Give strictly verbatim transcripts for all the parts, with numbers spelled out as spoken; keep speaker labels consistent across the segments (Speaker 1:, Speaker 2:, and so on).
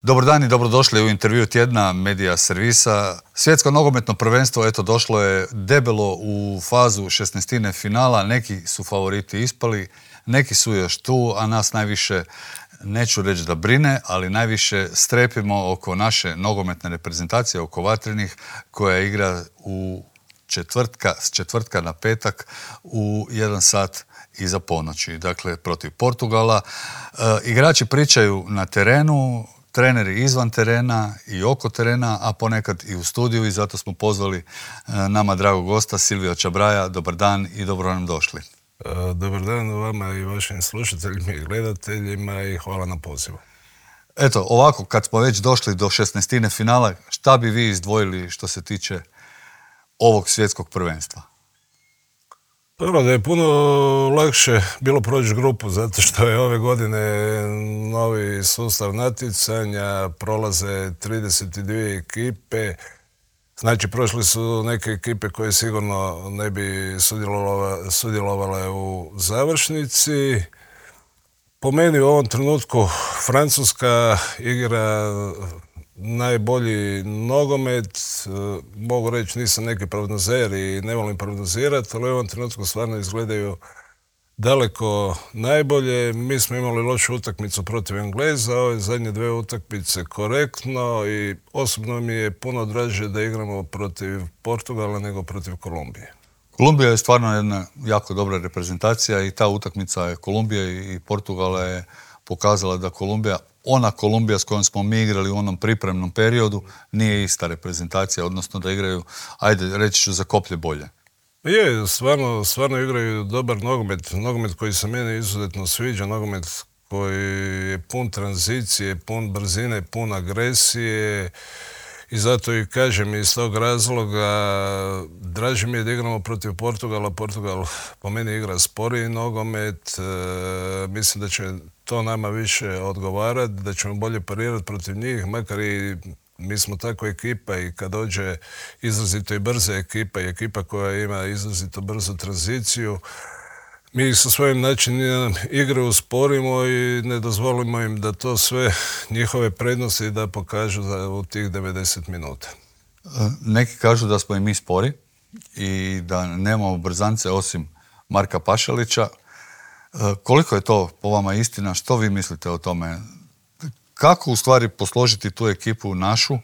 Speaker 1: Dobar dan i dobrodošli u intervju tjedna Medija servisa. Svjetsko nogometno prvenstvo eto došlo je debelo u fazu šesnaestine finala. Neki su favoriti ispali, neki su još tu, a nas najviše, neću reći da brine, ali najviše strepimo oko naše nogometne reprezentacije, oko Vatrenih, koja igra u četvrtka, s četvrtka na petak u jedan sat iza ponoći. Dakle, protiv Portugala. E, igrači pričaju na terenu, treneri izvan terena i oko terena, a ponekad i u studiju, i zato smo pozvali e, nama dragog gosta Silvija Čabraja. Dobar dan i dobro nam došli.
Speaker 2: E, dobar dan vama i vašim slušateljima i gledateljima i hvala na pozivu.
Speaker 1: Eto, ovako, kad smo već došli do šesnaestine finala, šta bi vi izdvojili što se tiče ovog svjetskog prvenstva?
Speaker 2: Prvo da je puno lakše bilo proći grupu, zato što je ove godine novi sustav natjecanja, prolaze trideset dvije ekipe, znači prošli su neke ekipe koje sigurno ne bi sudjelovale, sudjelovale u završnici. Po meni u ovom trenutku Francuska igra najbolji nogomet, mogu reći nisam neki prognozer i ne volim prognozirati, ali u ovom trenutku stvarno izgledaju daleko najbolje. Mi smo imali lošu utakmicu protiv Engleza, ove zadnje dve utakmice korektno i osobno mi je puno draže da igramo protiv Portugala nego protiv Kolumbije.
Speaker 1: Kolumbija je stvarno jedna jako dobra reprezentacija i ta utakmica je Kolumbije i Portugala je pokazala da Kolumbija, ona Kolumbija s kojom smo mi igrali u onom pripremnom periodu, nije ista reprezentacija, odnosno da igraju, ajde, reći ću, za koplje bolje.
Speaker 2: Je, stvarno, stvarno igraju dobar nogomet, nogomet koji se meni izuzetno sviđa, nogomet koji je pun tranzicije, pun brzine, pun agresije i zato i kažem iz tog razloga draže mi je da igramo protiv Portugala. Portugal po meni igra sporiji nogomet, e, mislim da će to nama više odgovarati, da ćemo bolje parirati protiv njih, makar i mi smo takva ekipa i kad dođe izrazito i brza ekipa i ekipa koja ima izrazito brzu tranziciju, mi ih sa svojim načinom igre usporimo i ne dozvolimo im da to sve njihove prednosti da pokažu za, u tih devedeset minuta.
Speaker 1: Neki kažu da smo i mi spori i da nemamo brzance osim Marka Pašalića. Koliko je to po vama istina? Što vi mislite o tome? Kako u stvari posložiti tu ekipu našu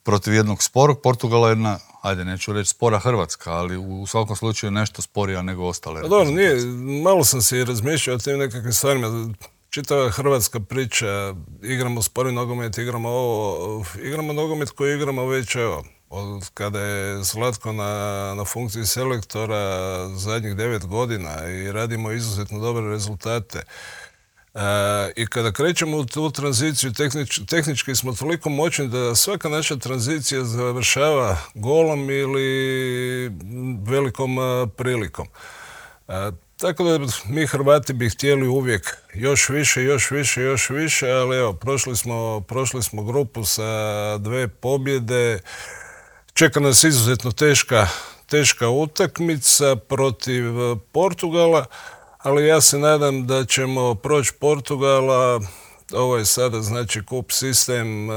Speaker 1: protiv jednog sporog Portugala, jedna, ajde, neću reći spora Hrvatska, ali u svakom slučaju nešto sporija nego ostale.
Speaker 2: Pa dobro, nije, malo sam se i razmišljao o tim nekakvim stvarima. Čitava hrvatska priča, igramo spori nogomet, igramo ovo, igramo nogomet koji igramo već, evo, od kada je Zlatko na, na funkciji selektora zadnjih devet godina i radimo izuzetno dobre rezultate. E, I kada krećemo u tu tranziciju, tehnič, tehnički smo toliko moćni da svaka naša tranzicija završava golom ili velikom a, prilikom. E, tako da mi Hrvati bi htjeli uvijek još više, još više, još više, ali evo, prošli smo, prošli smo grupu sa dve pobjede. Čeka nas izuzetno teška, teška utakmica protiv Portugala, ali ja se nadam da ćemo proći Portugala. Ovo je sada znači kup sistem,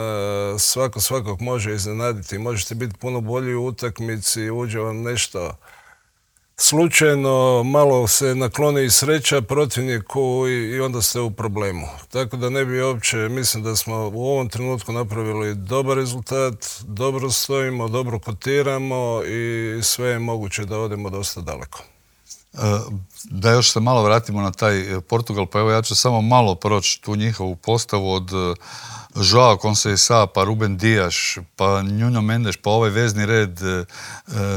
Speaker 2: svako svakog može iznenaditi, možete biti puno bolji u utakmici, uđe vam nešto slučajno, malo se nakloni i sreća protivniku i onda ste u problemu. Tako da ne bi uopće, mislim da smo u ovom trenutku napravili dobar rezultat, dobro stojimo, dobro kotiramo i sve je moguće da odemo dosta daleko.
Speaker 1: Da još se malo vratimo na taj Portugal, pa evo ja ću samo malo proći tu njihovu postavu od Joao Conceição, pa Ruben Dias, pa Nuno Mendes, pa ovaj vezni red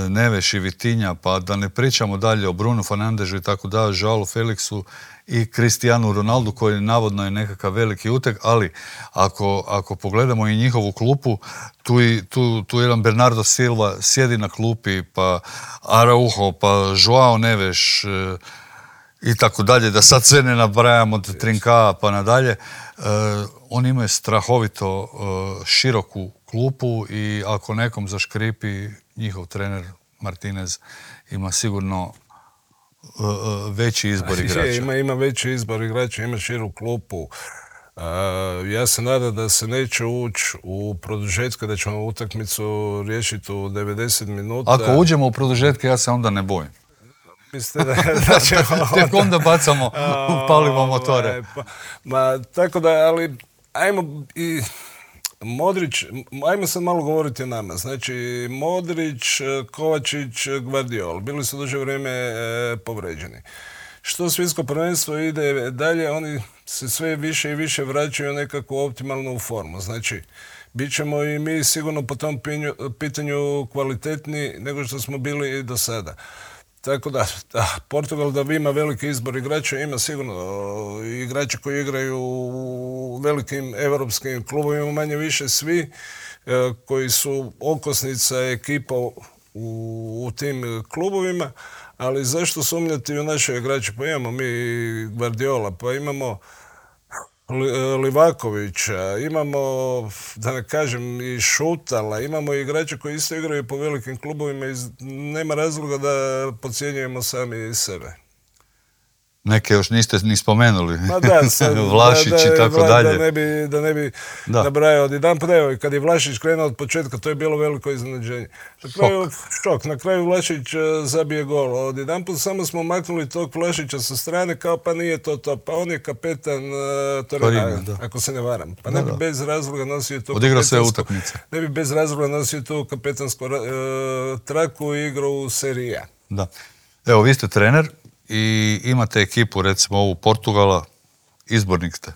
Speaker 1: Neves i Vitinha, pa da ne pričamo dalje o Bruno Fernandesu i tako da, Joao Felixu i Cristiano Ronaldu koji navodno je nekakav veliki uteg, ali ako, ako pogledamo i njihovu klupu, tu, i, tu, tu jedan Bernardo Silva sjedi na klupi, pa Araujo, pa Joao Neves e, i tako dalje, da sad sve ne nabrajamo od Trinka pa nadalje. E, oni imaju strahovito e, široku klupu i ako nekom zaškripi, njihov trener Martinez ima sigurno veći izbor igrača.
Speaker 2: Je, ima, ima veći izbor igrača, ima širu klupu. Ja se nadam da se neće ući u produžetke, da ćemo utakmicu riješiti u devedeset minuta.
Speaker 1: Ako uđemo u produžetke, ja se onda ne bojim.
Speaker 2: Mislite da, da ćemo onda...
Speaker 1: Tek onda bacamo, upalimo motore.
Speaker 2: Pa, ma, tako da, ali ajmo i... Modrić, ajmo sad malo govoriti o nama. Znači, Modrić, Kovačić, Gvardiol, bili su duže vrijeme e, povređeni. Što svjetsko prvenstvo ide dalje, oni se sve više i više vraćaju nekako optimalnu formu. Znači, bit ćemo i mi sigurno po tom pinju, pitanju kvalitetni nego što smo bili do sada. Tako da, da, Portugal da ima veliki izbor igrača, ima sigurno igrači koji igraju u velikim europskim klubovima, manje više svi, koji su okosnica ekipa u, u tim klubovima, ali zašto sumnjati u naše igrače? Pa imamo mi Gvardiola, pa imamo Livakovića, imamo, da ne kažem, i Šutala, imamo i igrače koji isto igraju po velikim klubovima i nema razloga da podcjenjujemo sami sebe.
Speaker 1: Neke još niste ni spomenuli.
Speaker 2: Ma da, sad,
Speaker 1: Vlašić
Speaker 2: da, da,
Speaker 1: i tako
Speaker 2: da,
Speaker 1: dalje.
Speaker 2: Da ne bi, da ne bi nabrajao od jedan put. Evo, kad je Vlašić krenuo od početka, to je bilo veliko iznenađenje. Na kraju, šok. Na kraju Vlašić zabije gol. Od jedan put samo smo maknuli tog Vlašića sa strane, kao pa nije to to. Pa on je kapetan uh, Torina, ako se ne varam. Pa ne bi da, bez razloga nosio tu
Speaker 1: odigrao sve utakmice.
Speaker 2: Ne bi bez razloga nosio tu kapetansku uh, traku i igrao u Serie A.
Speaker 1: Da. Evo, vi ste trener i imate ekipu, recimo ovu Portugala, izbornik ste.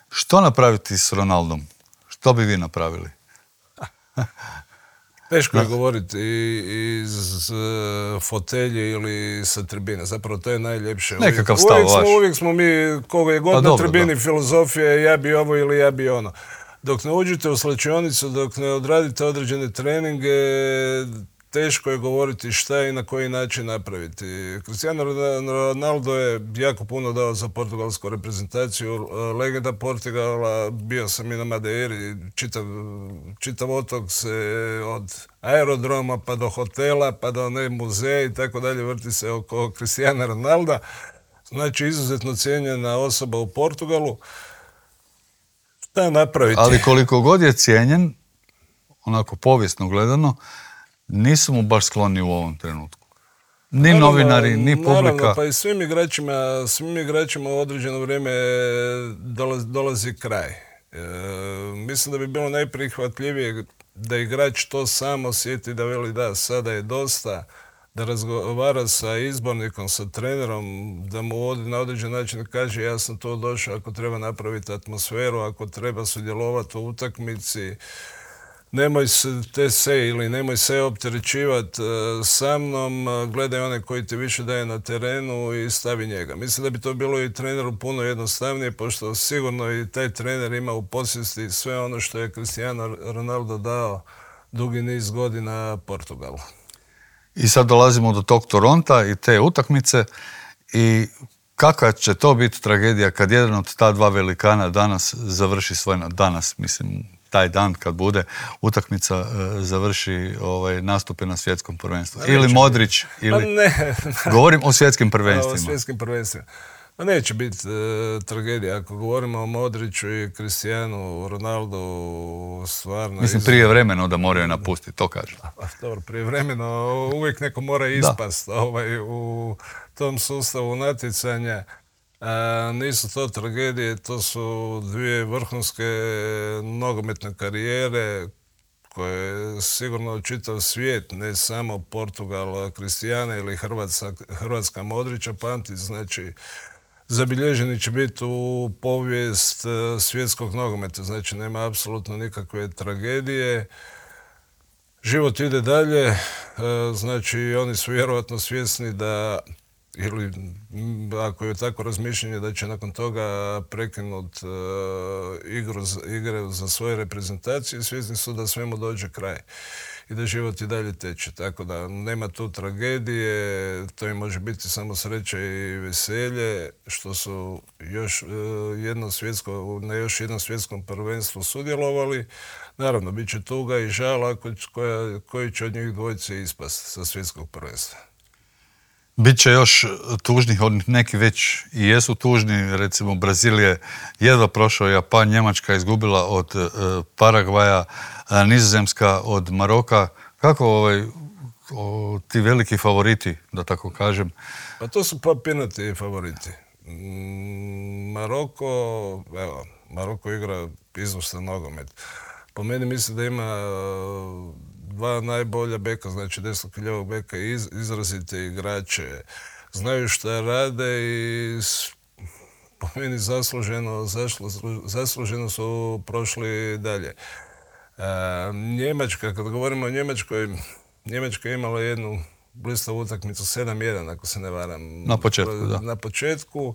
Speaker 1: Što napraviti s Ronaldom? Što bi vi napravili?
Speaker 2: Teško je govoriti iz fotelje ili sa tribine. Zapravo to je najljepše.
Speaker 1: Nekakav stav
Speaker 2: uvijek,
Speaker 1: vaš.
Speaker 2: smo, uvijek smo mi, koga je god pa na dobro, tribini, da. Filozofija je ja bi ovo ili ja bi ono. Dok ne uđete u slačionicu, dok ne odradite određene treninge, teško je govoriti šta i na koji način napraviti. Cristiano Ronaldo je jako puno dao za portugalsku reprezentaciju, legenda Portugala, bio sam i na Madeiri, čitav, čitav otok se od aerodroma pa do hotela, pa do ne muzeja i tako dalje vrti se oko Cristiana Ronalda. Znači, izuzetno cijenjena osoba u Portugalu. Šta napraviti?
Speaker 1: Ali koliko god je cijenjen, onako povijesno gledano, nisu mu baš skloni u ovom trenutku. Ni naravno, novinari, ni publika.
Speaker 2: Naravno, pa i svim igračima, svim igračima u određeno vrijeme dolazi, dolazi kraj. E, mislim da bi bilo najprihvatljivije da igrač to sam osjeti, da veli da, sada je dosta, da razgovara sa izbornikom, sa trenerom, da mu na određen način kaže ja sam to došao ako treba napraviti atmosferu, ako treba sudjelovati u utakmici, nemoj se te se ili nemoj se opterećivati sa mnom, gledaj one koji ti više daje na terenu i stavi njega. Mislim da bi to bilo i treneru puno jednostavnije, pošto sigurno i taj trener ima u posjesti sve ono što je Cristiano Ronaldo dao dugi niz godina Portugalu.
Speaker 1: I sad dolazimo do tog Toronta i te utakmice i kakva će to biti tragedija kad jedan od ta dva velikana danas završi svoj, danas mislim, taj dan kad bude utakmica e, završi ovaj, nastupe na svjetskom prvenstvu. Ili neće Modrić, biti. ili...
Speaker 2: Ne.
Speaker 1: Govorim o svjetskim prvenstvima.
Speaker 2: O svjetskim prvenstvima. Pa neće biti e, tragedija. Ako govorimo o Modriću i Cristianu Ronaldu, stvarno...
Speaker 1: Mislim, prije vremena da moraju napustiti, to kažem.
Speaker 2: Pa, dobro, prije vremena uvijek neko mora ispast ovaj, u tom sustavu natjecanja. A, nisu to tragedije, to su dvije vrhunske nogometne karijere koje sigurno čitav svijet, ne samo Portugal, Cristiana ili Hrvatska, Hrvatska Modrića pamti, znači zabilježeni će biti u povijest svjetskog nogometa, znači nema apsolutno nikakve tragedije. Život ide dalje, znači oni su vjerojatno svjesni da ili ako je tako razmišljanje da će nakon toga prekinuti uh, igru, igre za svoje reprezentacije, svjesni su da svemu dođe kraj i da život i dalje teče. Tako da nema tu tragedije, to im može biti samo sreća i veselje što su još uh, jedno svjetsko, na još jednom svjetskom prvenstvu sudjelovali. Naravno, bit će tuga i žal koja, koji će od njih dvojice ispast sa svjetskog prvenstva.
Speaker 1: Biće još tužnih, od neki već i jesu tužni, recimo Brazil je jedva prošao, Japan, Njemačka izgubila od e, Paragvaja, e, Nizozemska od Maroka. Kako ovaj, o, ti veliki favoriti, da tako kažem?
Speaker 2: Pa to su papirnati favoriti. Mm, Maroko, evo, Maroko igra izvrstan nogomet. Po meni mislim da ima dva najbolja beka, znači desnog i ljevog beka, iz, izrazite igrače, znaju šta rade i s, po meni zasluženo, zašlo, zasluženo su prošli dalje. E, Njemačka, kad govorimo o Njemačkoj, Njemačka je imala jednu blistavu utakmicu sedam jedan, ako se ne varam.
Speaker 1: Na početku, da.
Speaker 2: Na početku.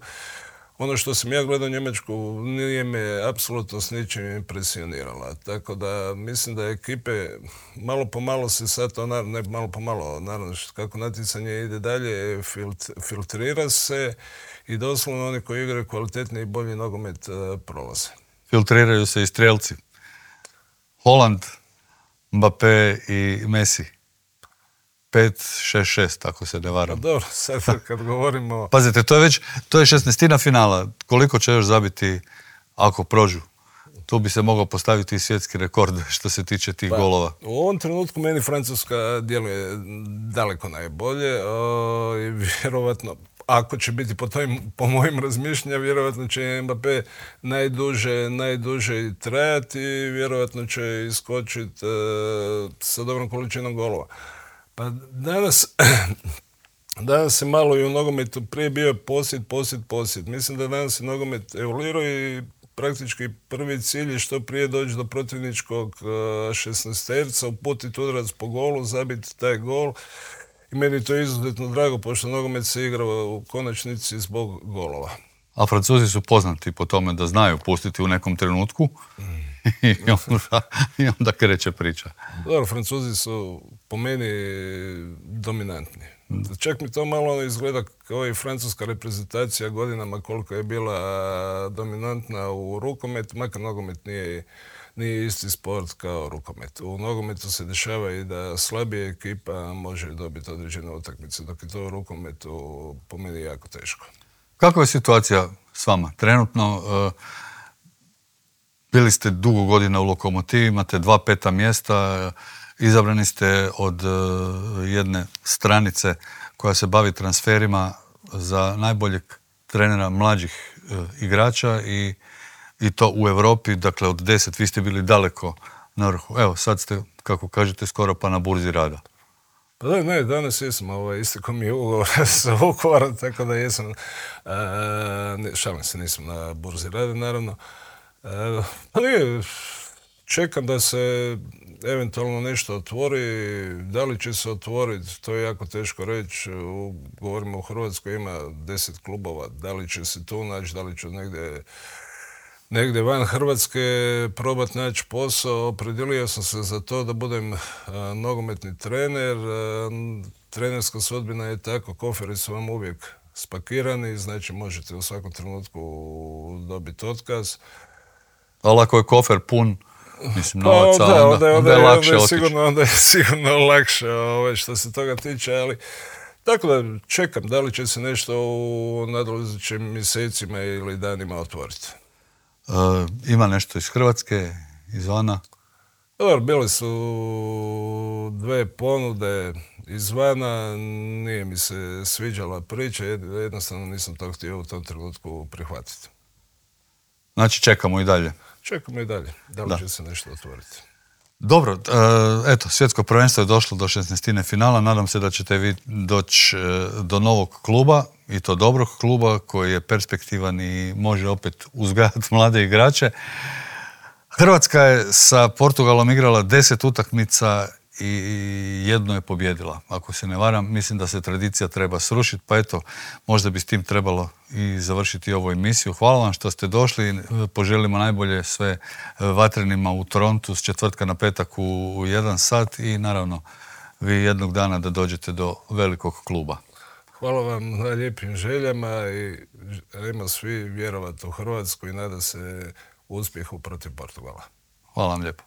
Speaker 2: Ono što sam ja gledao Njemačku nije me apsolutno s ničim impresionirala. Tako da mislim da ekipe malo po malo se sad to, ne malo po malo, naravno kako natjecanje ide dalje, filtrira se i doslovno oni koji igraju kvalitetni i bolji nogomet prolaze.
Speaker 1: Filtriraju se i strelci. Haaland, Mbappé i Messi. pet šest šest, ako se ne varam.
Speaker 2: Pa dobro, sad kad govorimo...
Speaker 1: Pazite, to je već, to je šesnaestina finala. Koliko će još zabiti ako prođu? Tu bi se mogao postaviti i svjetski rekord što se tiče tih
Speaker 2: pa,
Speaker 1: golova.
Speaker 2: U ovom trenutku meni Francuska djeluje daleko najbolje o, i vjerovatno, ako će biti po, tojim, po mojim razmišljanjima, vjerovatno će Mbappé najduže, najduže trajati i vjerovatno će iskočiti uh, sa dobrom količinom golova. Pa danas, danas je malo i u nogometu prije bio posjed, posjed, posjed. Mislim da danas je nogomet evoluirao i praktički prvi cilj je što prije doći do protivničkog šesnaesterca, uputiti udarac po golu, zabiti taj gol. I meni je to izuzetno drago, pošto nogomet se igra u konačnici zbog golova.
Speaker 1: A Francuzi su poznati po tome da znaju pustiti u nekom trenutku i, onda, i onda kreće priča.
Speaker 2: Dobro, Francuzi su po meni dominantni. Čak mi to malo izgleda kao i francuska reprezentacija godinama koliko je bila dominantna u rukometu, makar nogomet nije, nije isti sport kao rukomet. U nogometu se dešava i da slabija ekipa može dobiti određene utakmice, dok je to u rukometu po meni jako teško.
Speaker 1: Kakva je situacija s vama? Trenutno uh, bili ste dugo godina u Lokomotivi, imate dva peta mjesta, uh, izabrani ste od uh, jedne stranice koja se bavi transferima za najboljeg trenera mlađih uh, igrača i, i to u Europi, dakle od deset, vi ste bili daleko na vrhu. Evo, sad ste, kako kažete, skoro pa na burzi rada.
Speaker 2: Pa da, ne, danas jesam, ovaj, istekao mi je ugovor sa Vukovarom, tako da jesam, a, ne, šalim se, nisam na burzi rada, naravno. A, pa nije, čekam da se eventualno nešto otvori, da li će se otvoriti, to je jako teško reći. U, govorimo u Hrvatskoj ima deset klubova, da li će se tu naći, da li će negdje negdje van Hrvatske probati naći posao. Opredjelio sam se za to da budem a, nogometni trener. A, trenerska sudbina je tako, koferi su vam uvijek spakirani, znači možete u svakom trenutku dobiti otkaz.
Speaker 1: Ali ako je kofer pun, mislim,
Speaker 2: pa,
Speaker 1: novaca,
Speaker 2: onda,
Speaker 1: onda, onda, onda je lakše
Speaker 2: onda je
Speaker 1: otići.
Speaker 2: sigurno, onda je sigurno lakše ovaj, što se toga tiče, ali tako da čekam da li će se nešto u nadolazećim mjesecima ili danima otvoriti.
Speaker 1: Uh, ima nešto iz Hrvatske, izvana?
Speaker 2: Dobro, bile su dve ponude izvana, nije mi se sviđala priča, jednostavno nisam to htio u tom trenutku prihvatiti.
Speaker 1: Znači čekamo i dalje.
Speaker 2: Čekamo i dalje, da li da. će se nešto otvoriti.
Speaker 1: Dobro, eto, svjetsko prvenstvo je došlo do šesnaestine finala, nadam se da ćete vi doći do novog kluba, i to dobrog kluba koji je perspektivan i može opet uzgajati mlade igrače. Hrvatska je sa Portugalom igrala deset utakmica i jedno je pobjedila. Ako se ne varam, mislim da se tradicija treba srušiti, pa eto, možda bi s tim trebalo i završiti ovu emisiju. Hvala vam što ste došli, poželimo najbolje sve vatrenima u Torontu s četvrtka na petak u, u jedan sat i naravno vi jednog dana da dođete do velikog kluba.
Speaker 2: Hvala vam na lijepim željama i želimo svi vjerovati u Hrvatsku i nada se uspjehu protiv Portugala.
Speaker 1: Hvala vam lijepo.